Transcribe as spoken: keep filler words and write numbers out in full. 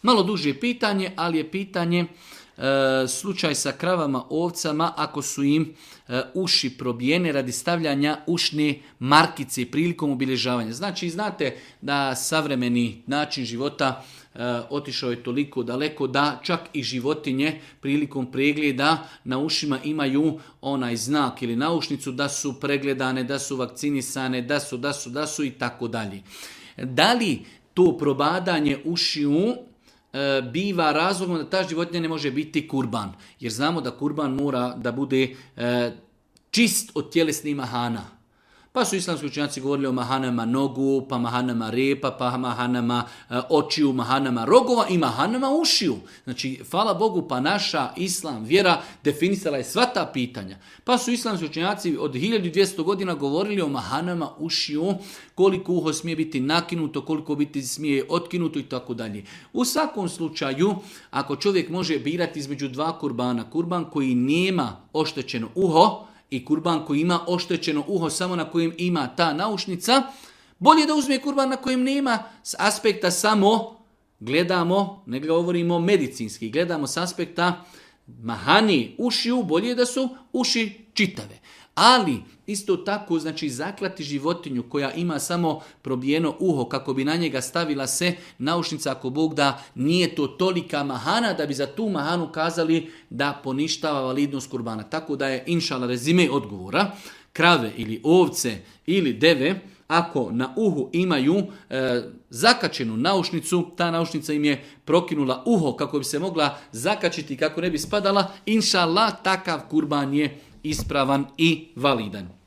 Malo duže pitanje, ali je pitanje e, slučaj sa kravama, ovcama, ako su im e, uši probijene radi stavljanja ušne markice prilikom obilježavanja. Znači, znate da savremeni način života e, otišao je toliko daleko da čak i životinje prilikom pregleda na ušima imaju onaj znak ili naušnicu da su pregledane, da su vakcinisane, da su, da su, da su i tako dalje. Da li to probadanje ušiju biva razlogom da ta životinja ne može biti kurban? Jer znamo da kurban mora da bude e, čist od tjelesnih mahana. Pa su islamski učenjaci govorili o mahanama nogu, pa mahanama repa, pa mahanama e, očiju, mahanama rogova i mahanama ušiju. Znači, hvala Bogu, pa naša islam vjera definisala je sva ta pitanja. Pa su islamski učenjaci od hiljadu dvjesto godina govorili o mahanama ušiju, koliko uho smije biti nakinuto, koliko biti smije otkinuto i tako dalje. U svakom slučaju, ako čovjek može birati između dva kurbana, kurban koji nema oštećeno uho i kurban koji ima oštećeno uho samo na kojem ima ta naušnica, bolje da uzme kurban na kojem nema, s aspekta samo gledamo, ne govorimo medicinski, gledamo s aspekta mahani ušiju, bolje da su uši čitave. Ali isto tako, znači, zaklati životinju koja ima samo probijeno uho kako bi na njega stavila se naušnica, ako Bog da, nije to tolika mahana da bi za tu mahanu kazali da poništava validnost kurbana. Tako da je, inšala, rezime odgovora, krave ili ovce ili deve, ako na uhu imaju e, zakačenu naušnicu, ta naušnica im je prokinula uho kako bi se mogla zakačiti, kako ne bi spadala, inšallah, takav kurban je ispravan i validan.